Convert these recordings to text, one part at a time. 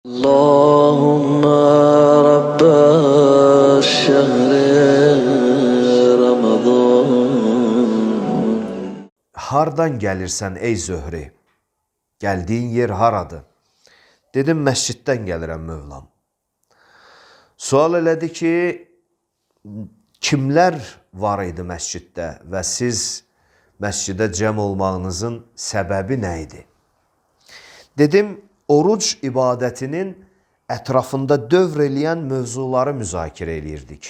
اللهم رب الشهر رمضان. Hardan gəlirsən ey Zöhri? Gəldiyin yer haradır? Dedim, məsciddən gəlirəm Mövlam. Sual elədi ki, kimlər var idi məsciddə və siz məscidə cəm olmağınızın səbəbi nə idi? Dedim, oruc ibadətinin ətrafında dövr eləyən mövzuları müzakirə eləyirdik.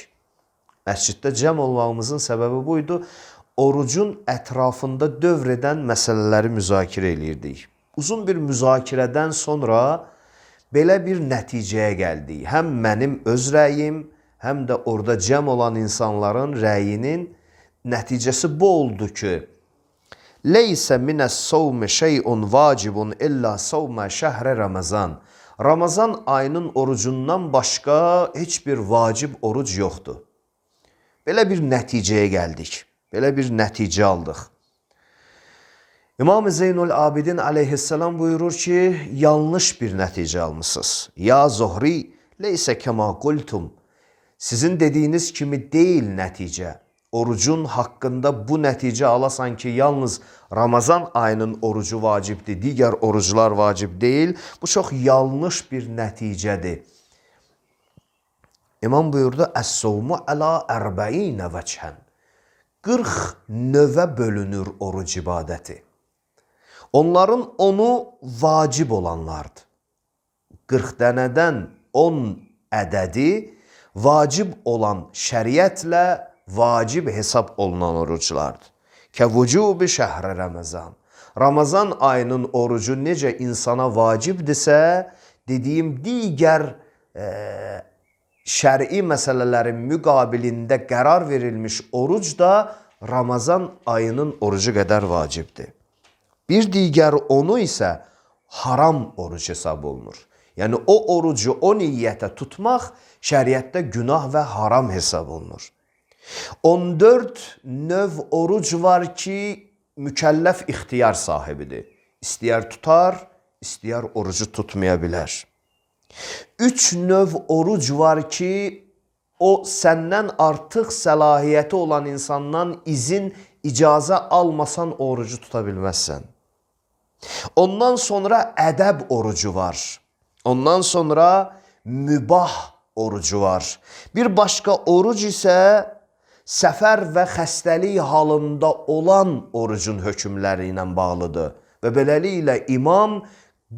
Məsciddə cəm olmağımızın səbəbi buydu. Orucun ətrafında dövr edən məsələləri müzakirə eləyirdik. Uzun bir müzakirədən sonra belə bir nəticəyə gəldik. Həm mənim öz rəyim, həm də orada cəm olan insanların rəyinin nəticəsi bu oldu ki, Leysə minəs-savmi şey'un vacibun illa savmə şəhrə Ramazan. Ramazan ayının orucundan başqa heç bir vacib oruc yoxdur. Belə bir nəticəyə gəldik. Belə bir nəticə aldıq. İmam-ı Zeynul Abidin aleyhisselam buyurur ki, yanlış bir nəticə almışsınız. Ya Zuhri, leysə kəma qultum. Sizin dediyiniz kimi deyil nəticə. Orucun haqqında bu nəticə alasan ki, yalnız Ramazan ayının orucu vacibdir, digər oruclar vacib deyil. Bu çox yanlış bir nəticədir. İmam buyurdu, Əs-savmu əla ərbəinə vəchən. 40 növə bölünür oruc ibadəti. Onların 10'u vacib olanlardır. 40 dənədən 10 ədədi vacib olan şəriətlə vacib hesab olunan oruclardır. Kəvücubi şəhrə Ramazan. Ramazan ayının orucu necə insana vacibdirsə, dediyim digər şəri məsələlərin müqabilində qərar verilmiş oruc da Ramazan ayının orucu qədər vacibdir. Bir digər onu isə haram oruc hesab olunur. Yəni o orucu o niyyətə tutmaq şəriətdə günah və haram hesab olunur. 14 növ oruc var ki, mükəlləf ixtiyar sahibidir. İstəyər tutar, istəyər orucu tutmaya bilər. 3 növ oruc var ki, o səndən artıq səlahiyyəti olan insandan izin, icazə almasan orucu tuta bilməzsən. Ondan sonra ədəb orucu var. Ondan sonra mübah orucu var. Bir başqa oruc isə səfər və xəstəlik halında olan orucun hökmləri ilə bağlıdır. Və beləliklə imam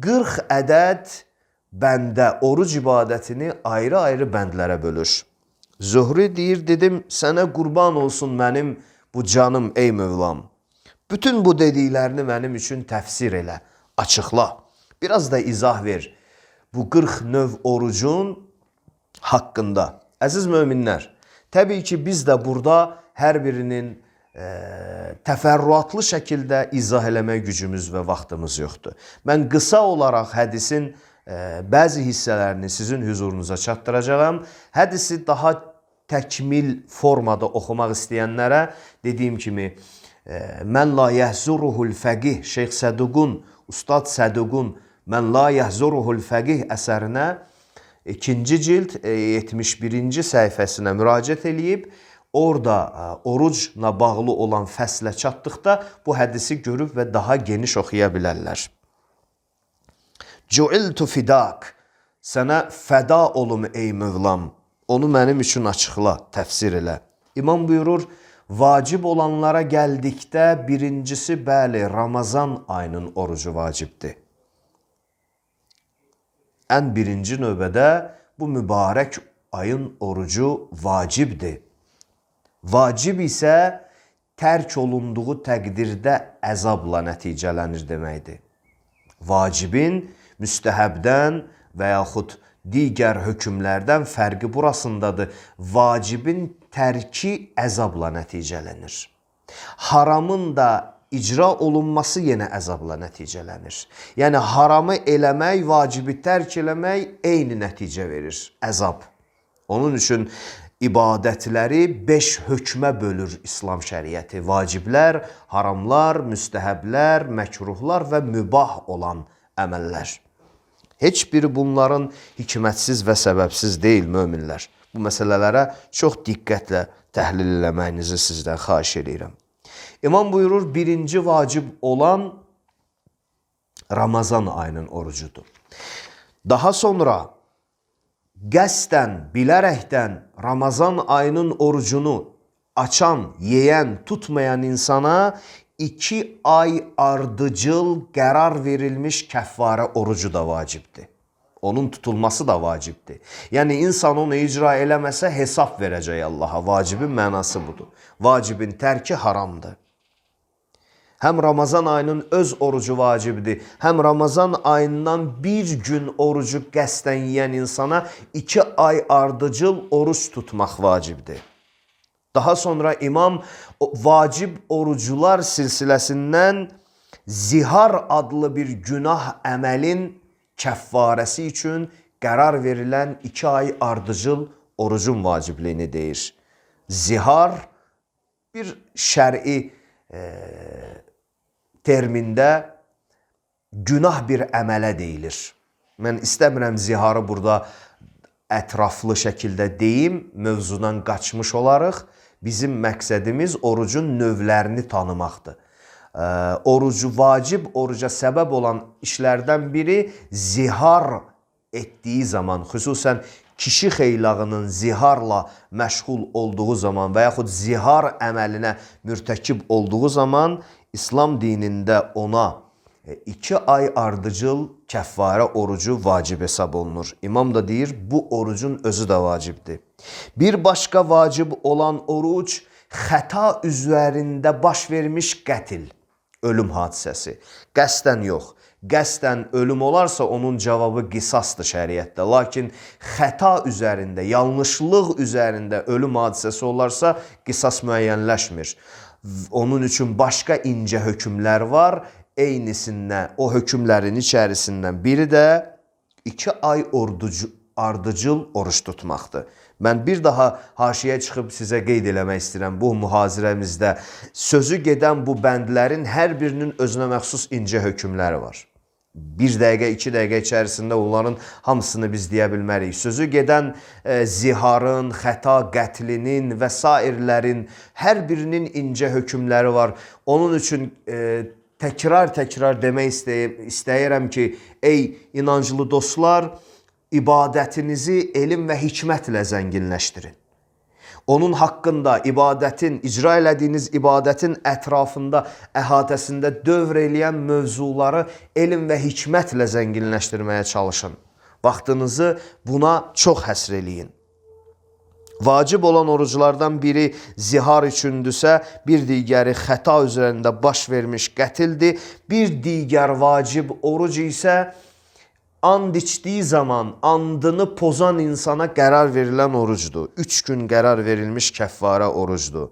40 ədəd bəndə oruc ibadətini ayrı-ayrı bəndlərə bölür. Zuhri deyir, dedim, sənə qurban olsun mənim bu canım ey Mövlam. Bütün bu dediklərini mənim üçün təfsir elə, açıqla. Biraz da izah ver bu 40 növ orucun haqqında. Əziz möminlər, təbii ki, biz də burada hər birinin təfərrüatlı şəkildə izah eləmək gücümüz və vaxtımız yoxdur. Mən qısa olaraq hədisin bəzi hissələrini sizin hüzurunuza çatdıracağım. Hədisi daha təkmil formada oxumaq istəyənlərə dediyim kimi, Mən la yəhzuruhul fəqih, Şeyx Səduqun, Ustad Səduqun Mən la yəhzuruhul fəqih əsərinə 2-ci cild 71-ci səhifəsinə müraciət eləyib, orada orucla bağlı olan fəslə çatdıqda bu hədisi görüb və daha geniş oxuya bilərlər. Cu'iltu fidak, sənə fəda olum ey Mövlam, onu mənim üçün açıqla, təfsir elə. İmam buyurur, vacib olanlara gəldikdə birincisi, bəli, Ramazan ayının orucu vacibdir. Ən birinci növbədə bu mübarək ayın orucu vacibdir. Vacib isə tərk olunduğu təqdirdə əzabla nəticələnir deməkdir. Vacibin müstəhəbdən və yaxud digər hökmlərdən fərqi burasındadır. Vacibin tərki əzabla nəticələnir. Haramın da icra olunması yenə əzabla nəticələnir. Yəni haramı eləmək, vacibi tərk eləmək eyni nəticə verir, əzab. Onun üçün ibadətləri 5 hökmə bölür İslam şəriəti. Vaciblər, haramlar, müstəhəblər, məkruhlar və mübah olan əməllər. Heç biri bunların hikmətsiz və səbəbsiz deyil möminlər. Bu məsələlərə çox diqqətlə təhlil eləməyinizi sizdən xahiş edirəm. İmam buyurur, birinci vacib olan Ramazan ayının orucudur. Daha sonra qəsdən, bilərəkdən Ramazan ayının orucunu açan, yeyən, tutmayan insana 2 ay ardıcıl qərar verilmiş kəffarə orucu da vacibdir. Onun tutulması da vacibdir. Yəni insan onu icra eləməsə hesab verəcək Allaha. Vacibin mənası budur. Vacibin tərki haramdır. Həm Ramazan ayının öz orucu vacibdir, həm Ramazan ayından bir gün orucu qəsdən yeyən insana 2 ay ardıcıl oruç tutmaq vacibdir. Daha sonra imam vacib orucular silsiləsindən zihar adlı bir günah əməlin kəffarəsi üçün qərar verilən 2 ay ardıcıl orucun vacibliyini deyir. Zihar bir şəri termində günah bir əmələ deyilir. Mən istəmirəm ziharı burada ətraflı şəkildə deyim, mövzudan qaçmış olarıq. Bizim məqsədimiz orucun növlərini tanımaqdır. Orucu vacib, oruca səbəb olan işlərdən biri zihar etdiyi zaman, xüsusən kişi xeylağının ziharla məşğul olduğu zaman və yaxud zihar əməlinə mürtəkib olduğu zaman İslam dinində ona 2 ay ardıcıl kəffarə orucu vacib hesab olunur. İmam da deyir, bu orucun özü də vacibdir. Bir başqa vacib olan oruc, xəta üzərində baş vermiş qətil, ölüm hadisəsi. Qəsdən yox. Qəsdən ölüm olarsa onun cavabı qisasdır şəriətdə. Lakin xəta üzərində, yanlışlıq üzərində ölüm hadisəsi olarsa qisas müəyyənləşmir. Onun üçün başqa incə hökmlər var. Eynisindən, o hökmlərin içərisindən biri də 2 ay ardıcıl oruç tutmaqdır. Mən bir daha haşiyə çıxıb sizə qeyd eləmək istəyirəm. Bu mühazirəmizdə sözü gedən bu bəndlərin hər birinin özünə məxsus incə hökmləri var. 1 dəqiqə, 2 dəqiqə içərisində onların hamısını biz deyə bilmərik. Sözü gedən ziharın, xəta qətlinin və sairlərin hər birinin incə hökmləri var. Onun üçün təkrar demək istəyirəm ki, ey inanclı dostlar, ibadətinizi elm və hikmətlə zənginləşdirin. Onun haqqında ibadətin, icra elədiyiniz ibadətin ətrafında, əhatəsində dövr eləyən mövzuları elm və hikmətlə zənginləşdirməyə çalışın. Vaxtınızı buna çox həsr eləyin. Vacib olan oruclardan biri zihar üçündürsə, bir digəri xəta üzərində baş vermiş qətildir. Bir digər vacib oruc isə and içdiyi zaman andını pozan insana qərar verilən orucdur. 3 gün qərar verilmiş kəffarə orucdur.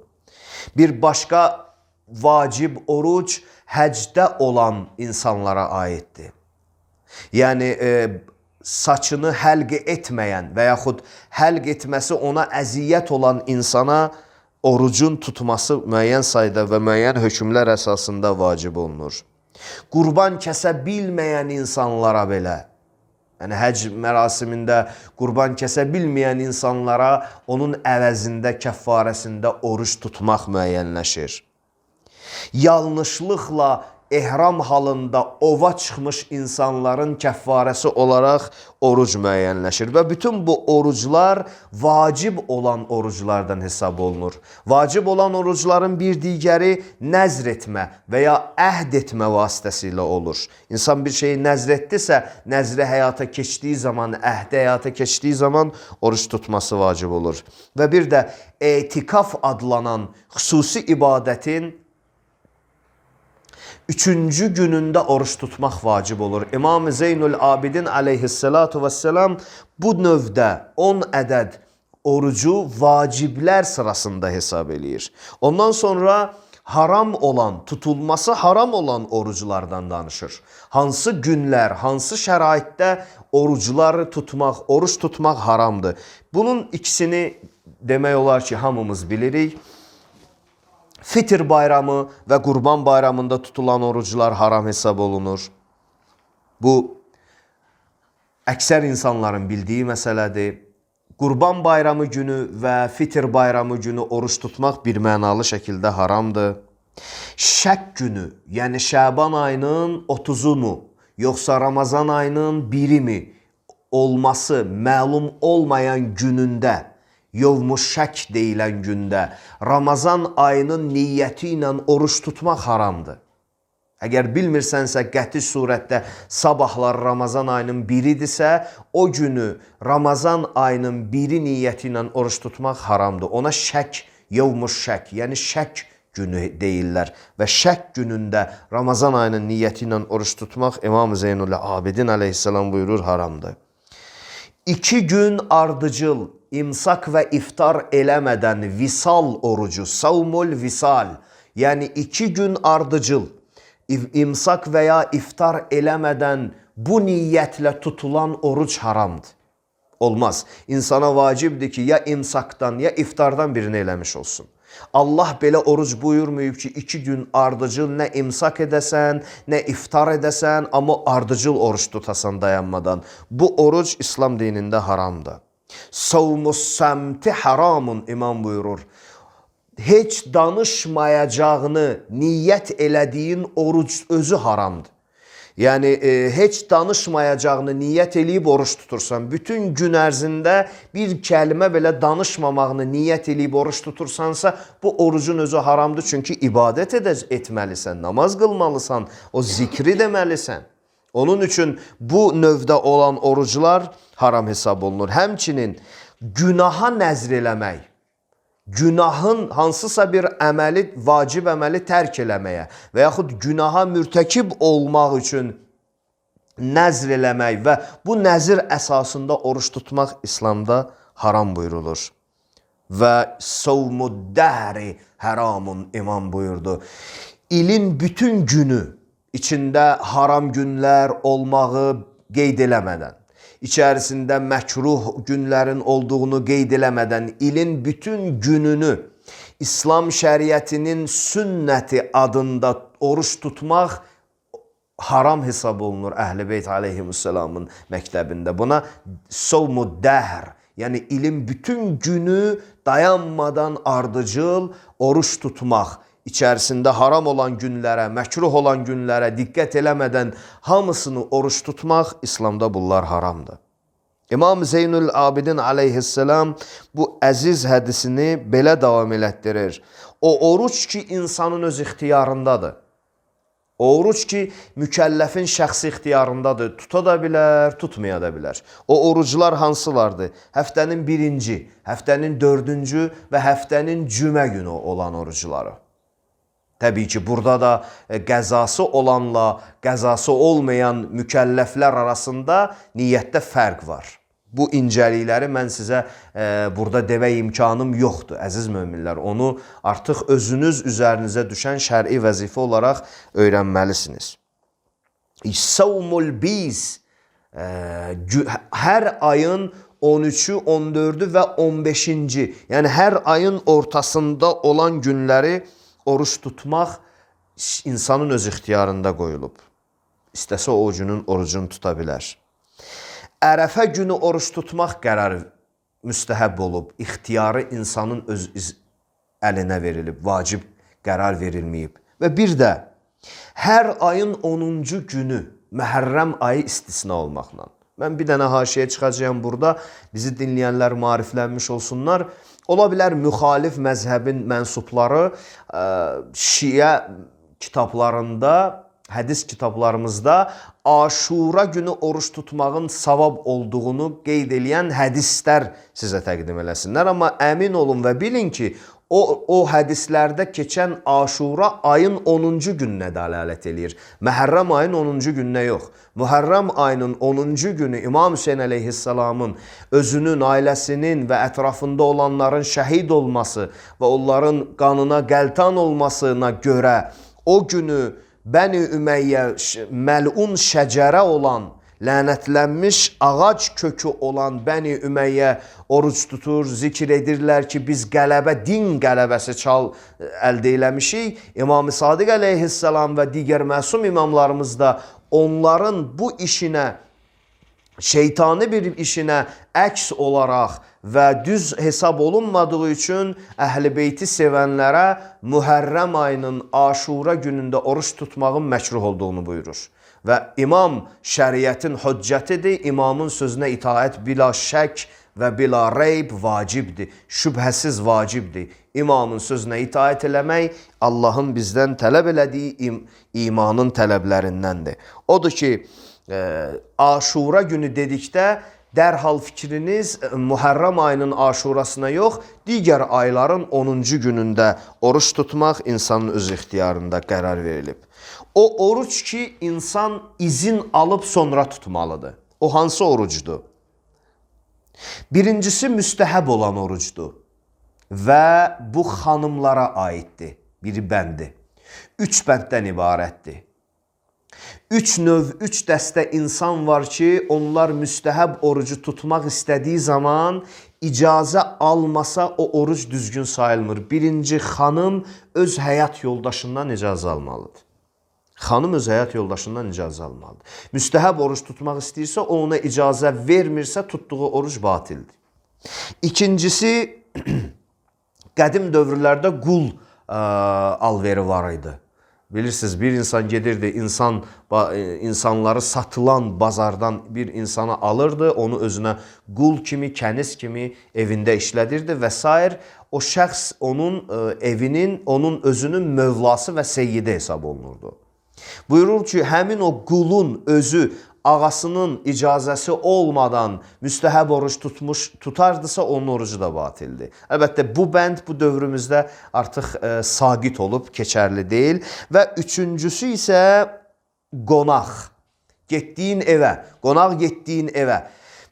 Bir başqa vacib oruc həcdə olan insanlara aiddir. Yəni saçını həlq etməyən və yaxud həlq etməsi ona əziyyət olan insana orucun tutması müəyyən sayda və müəyyən hökmlər əsasında vacib olunur. Qurban kəsə bilməyən insanlara belə, yəni həcc mərasimində qurban kəsə bilməyən insanlara onun əvəzində, kəffarəsində oruç tutmaq müəyyənləşir. Yanlışlıqla ehram halında ova çıxmış insanların kəffarəsi olaraq oruc müəyyənləşir. Və bütün bu oruclar vacib olan oruclardan hesab olunur. Vacib olan orucların bir digəri nəzr etmə və ya əhd etmə vasitəsilə olur. İnsan bir şeyi nəzr etdisə, nəzri həyata keçdiyi zaman, əhdi həyata keçdiyi zaman oruç tutması vacib olur. Və bir də etikaf adlanan xüsusi ibadətin 3-cü günündə oruç tutmaq vacib olur. İmam-ı Zeynul Abidin aleyhissalatu vesselam bu növdə 10 ədəd orucu vaciblər sırasında hesab eləyir. Ondan sonra haram olan, tutulması haram olan oruclardan danışır. Hansı günlər, hansı şəraitdə orucları tutmaq, oruç tutmaq haramdır. Bunun ikisini demək olar ki, hamımız bilirik. Fitr bayramı və Qurban bayramında tutulan oruclar haram hesab olunur. Bu əksər insanların bildiyi məsələdir. Qurban bayramı günü və Fitr bayramı günü oruç tutmaq bir mənalı şəkildə haramdır. Şək günü, yəni Şəban ayının 30-u mu, yoxsa Ramazan ayının 1-i mi olması məlum olmayan günündə, yovmuş şək deyilən gündə Ramazan ayının niyyəti ilə oruç tutmaq haramdır. Əgər bilmirsənsə, qəti surətdə sabahlar Ramazan ayının 1-idirsə, o günü Ramazan ayının 1-i niyyəti ilə oruç tutmaq haramdır. Ona şək, yevmuş şək, yəni şək günü deyirlər. Və şək günündə Ramazan ayının niyyəti ilə oruç tutmaq İmam Zeynul Abidin əleyhissalam buyurur haramdır. 2 gün ardıcıl imsak və iftar eləmədən visal orucu, savmul visal, yəni 2 gün ardıcıl imsak və ya iftar eləmədən bu niyyətlə tutulan oruc haramdır. Olmaz. İnsana vacibdir ki, ya imsakdan ya iftardan birini eləmiş olsun. Allah belə oruc buyurmayıb ki, 2 gün ardıcıl nə imsak edəsən, nə iftar edəsən, amma ardıcıl oruç tutasan dayanmadan. Bu oruc İslam dinində haramdır. Savmus səmti haramun imam buyurur. Heç danışmayacağını niyyət elədiyin oruc özü haramdır. Yəni, heç danışmayacağını niyyət eləyib oruç tutursan, bütün gün ərzində bir kəlmə belə danışmamağını niyyət eləyib oruç tutursansa, bu orucun özü haramdır. Çünki ibadət etməlisən, namaz qılmalısan, o zikri deməlisən. Onun üçün bu növdə olan oruclar haram hesab olunur. Həmçinin günaha nəzr eləmək, günahın hansısa bir əməli, vacib əməli tərk eləməyə və yaxud günaha mürtəkib olmaq üçün nəzr eləmək və bu nəzir əsasında oruç tutmaq İslamda haram buyurulur. Və savmuddəhri haramun imam buyurdu. İlin bütün günü içində haram günlər olmağı qeyd eləmədən, İçərisində məkruh günlərin olduğunu qeyd eləmədən ilin bütün gününü İslam şəriətinin sünnəti adında oruç tutmaq haram hesab olunur Əhl-i Beyt aleyhisselamın məktəbində. Buna savmuddəhr, yəni ilin bütün günü dayanmadan ardıcıl oruç tutmaq, İçərisində haram olan günlərə, məkruh olan günlərə diqqət eləmədən hamısını oruç tutmaq İslamda bunlar haramdır. İmam Zeynul Abidin aleyhisselam bu əziz hədisini belə davam elətdirir. O oruç ki, insanın öz ixtiyarındadır. O oruç ki, mükəlləfin şəxsi ixtiyarındadır. Tuta da bilər, tutmaya da bilər. O oruclar hansılardır? Həftənin 1-ci, həftənin 4-cü və həftənin cümə günü olan orucları. Təbii ki, burada da qəzası olanla qəzası olmayan mükəlləflər arasında niyyətdə fərq var. Bu incəlikləri mən sizə burada demək imkanım yoxdur, əziz möminlər. Onu artıq özünüz üzərinizə düşən şər'i vəzifə olaraq öyrənməlisiniz. Savmul biz, hər ayın 13-ü, 14-ü və 15-ci, yəni hər ayın ortasında olan günləri oruç tutmaq insanın öz ixtiyarında qoyulub. İstəsə o günün orucunu tuta bilər. Ərəfə günü oruç tutmaq qərarı müstəhəb olub. İxtiyarı insanın öz əlinə verilib, vacib qərar verilməyib. Və bir də hər ayın 10-cu günü Məhərrəm ayı istisna olmaqla. Mən bir dənə haşiyə çıxacağım burada, bizi dinləyənlər maariflənmiş olsunlar. Ola bilər müxalif məzhəbin mənsubları Şiə kitablarında, hədis kitablarımızda Aşura günü oruç tutmağın savab olduğunu qeyd edən hədislər sizə təqdim eləsinlər. Amma əmin olun və bilin ki, o hədislərdə keçən Aşura ayın 10-cu gününə dəlalət eləyir. Məhərrəm ayın 10-cu gününə yox. Mühərrəm ayının 10-cu günü İmam Hüseyin əleyhissalamın özünün, ailəsinin və ətrafında olanların şəhid olması və onların qanına qəltan olmasına görə o günü Bəni Ümeyyə məlun şəcərə olan, lənətlənmiş ağac kökü olan Bəni Ümeyyə oruç tutur, zikr edirlər ki, biz qələbə, din qələbəsi əldə eləmişik. İmam-ı Sadiq əleyhissalam və digər məsum imamlarımız da onların bu işinə şeytani bir işinə əks olaraq və düz hesab olunmadığı üçün Əhl-i Beyti sevənlərə Mühərrəm ayının Aşura günündə oruç tutmağın məkruh olduğunu buyurur. Və imam şəriətin hüccətidir, imamın sözünə itaət bila şək və bila reyb vacibdir, şübhəsiz vacibdir. İmamın sözünə itaət eləmək Allahın bizdən tələb elədiyi imanın tələblərindəndir. Odur ki, Aşura günü dedikdə dərhal fikriniz Mühərrəm ayının Aşurasına yox, digər ayların 10-cu günündə oruç tutmaq insanın öz ixtiyarında qərar verilib. O oruç ki, insan izin alıb sonra tutmalıdır. O hansı orucdur? Birincisi müstəhəb olan orucdur və bu xanımlara aiddir. Biri bəndi. 3 bənddən ibarətdir. 3 növ, 3 dəstə insan var ki, onlar müstəhəb orucu tutmaq istədiyi zaman icazə almasa o oruc düzgün sayılmır. Birinci, xanım öz həyat yoldaşından icazə almalıdır. Xanım öz həyat yoldaşından icazə almalıdır. Müstəhəb oruc tutmaq istəyirsə, o ona icazə vermirsə, tutduğu oruc batildir. İkincisi, qədim dövrlərdə qul alveri var idi. Bilirsiniz, bir insan gedirdi, insanları satılan bazardan bir insanı alırdı, onu özünə qul kimi, kəniz kimi evində işlədirdi və s. O şəxs onun evinin, onun özünün mövlası və seyyidi hesab olunurdu. Buyurur ki, həmin o qulun özü ağasının icazəsi olmadan müstəhəb oruç tutardısa, onun orucu da batildir. Əlbəttə, bu bənd bu dövrümüzdə artıq saqit olub, keçərli deyil. Və üçüncüsü isə qonaq. Getdiyin evə, qonaq getdiyin evə.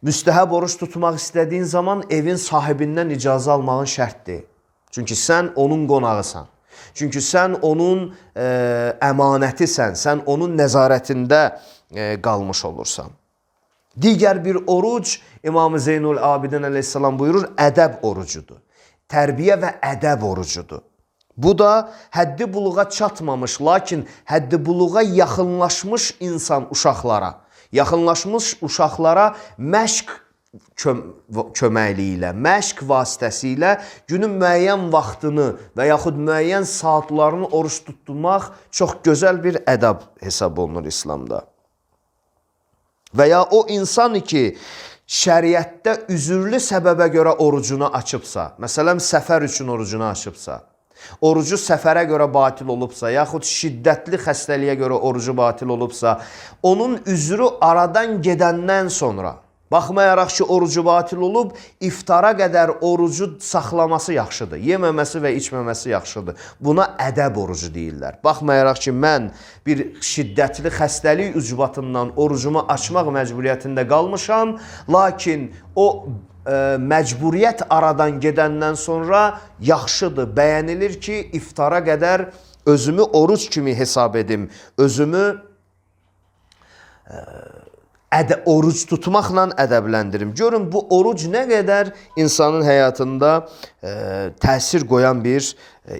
Müstəhəb oruç tutmaq istədiyin zaman evin sahibindən icazə almağın şərtdir. Çünki sən onun qonağısan. Çünki sən onun əmanətisən, sən onun nəzarətində qalmış olursan. Digər bir oruc İmam-ı Zeynul Abidin əleyhissalam buyurur, ədəb orucudur. Tərbiyə və ədəb orucudur. Bu da həddi buluğa çatmamış, lakin həddi buluğa yaxınlaşmış insan uşaqlara, yaxınlaşmış uşaqlara məşq köməkliyi ilə, məşq vasitəsilə günün müəyyən vaxtını və yaxud müəyyən saatlarını oruç tutmaq çox gözəl bir ədəb hesab olunur İslamda. Və ya o insan ki, şəriətdə üzürlü səbəbə görə orucunu açıbsa, məsələn, səfər üçün orucunu açıbsa, orucu səfərə görə batil olubsa, yaxud şiddətli xəstəliyə görə orucu batil olubsa, onun üzrü aradan gedəndən sonra, baxmayaraq ki, orucu batil olub, iftara qədər orucu saxlaması yaxşıdır. Yeməməsi və içməməsi yaxşıdır. Buna ədəb orucu deyirlər. Baxmayaraq ki, mən bir şiddətli xəstəlik ucbatından orucumu açmaq məcburiyyətində qalmışam, lakin o məcburiyyət aradan gedəndən sonra yaxşıdır, bəyənilir ki, iftara qədər özümü oruc kimi hesab edim, özümü oruc tutmaqla ədəbləndirim. Görün, bu oruc nə qədər insanın həyatında təsir qoyan bir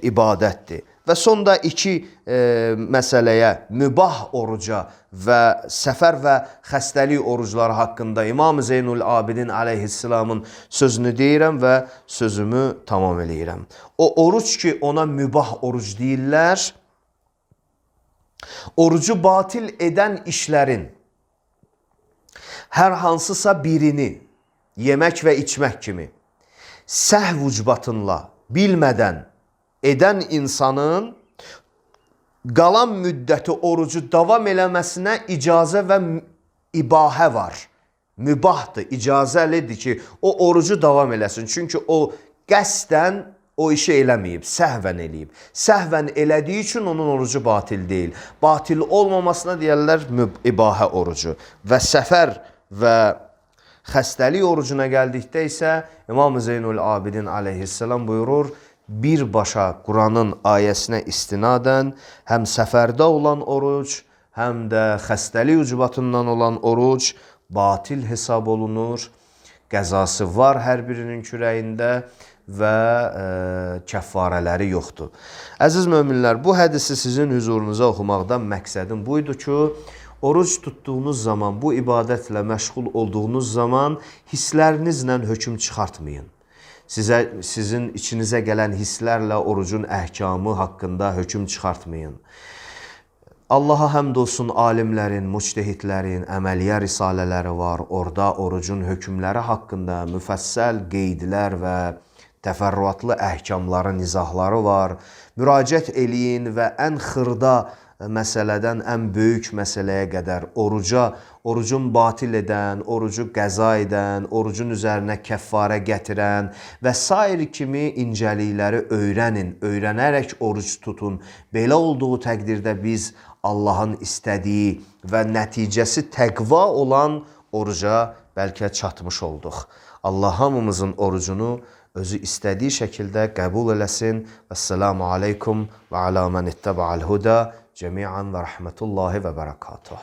ibadətdir. Və sonda iki məsələyə, mübah oruca və səfər və xəstəlik orucları haqqında İmam-ı Zeynul Abidin əleyhissalamın sözünü deyirəm və sözümü tamam eləyirəm. O oruc ki, ona mübah oruc deyirlər, orucu batil edən işlərin hər hansısa birini, yemək və içmək kimi, səhv ucbatınla, bilmədən edən insanın qalan müddəti orucu davam eləməsinə icazə və ibahə var. Mübahdır, icazəlidir ki, o orucu davam eləsin. Çünki o qəsdən o işi eləməyib, səhvən eləyib. Səhvən elədiyi üçün onun orucu batil deyil. Batil olmamasına deyərlər ibahə orucu. Və səfər və xəstəlik orucuna gəldikdə isə İmam-ı Zeynul Abidin əleyhissalam buyurur, birbaşa Quranın ayəsinə istinadən həm səfərdə olan oruc, həm də xəstəlik ucbatından olan oruc batil hesab olunur. Qəzası var hər birinin kürəyində və kəffarələri yoxdur. Əziz möminlər, bu hədisi sizin hüzurunuza oxumaqdan məqsədim buydu ki, Oruc tutduğunuz zaman, bu ibadətlə məşğul olduğunuz zaman hisslərinizlə hökm çıxartmayın. Sizin içinizə gələn hisslərlə orucun əhkamı haqqında hökm çıxartmayın. Allaha həmd olsun, alimlərin, müctehidlərin əməliyyə risalələri var. Orada orucun hökmləri haqqında müfəssəl qeydlər və təfərrüatlı əhkamların izahları var. Müraciət eləyin və ən xırda məsələdən ən böyük məsələyə qədər orucun batil edən, orucu qəza edən, orucun üzərinə kəffarə gətirən və sair kimi incəlikləri öyrənin, öyrənərək oruc tutun. Belə olduğu təqdirdə biz Allahın istədiyi və nəticəsi təqva olan oruca bəlkə çatmış olduq. Allah hamımızın orucunu özü istədiyi şəkildə qəbul eləsin. Vəssalamu aleykum və alə mən ittəbə'al huda cəmiən və rəhmətullahi və bərəkatuhu.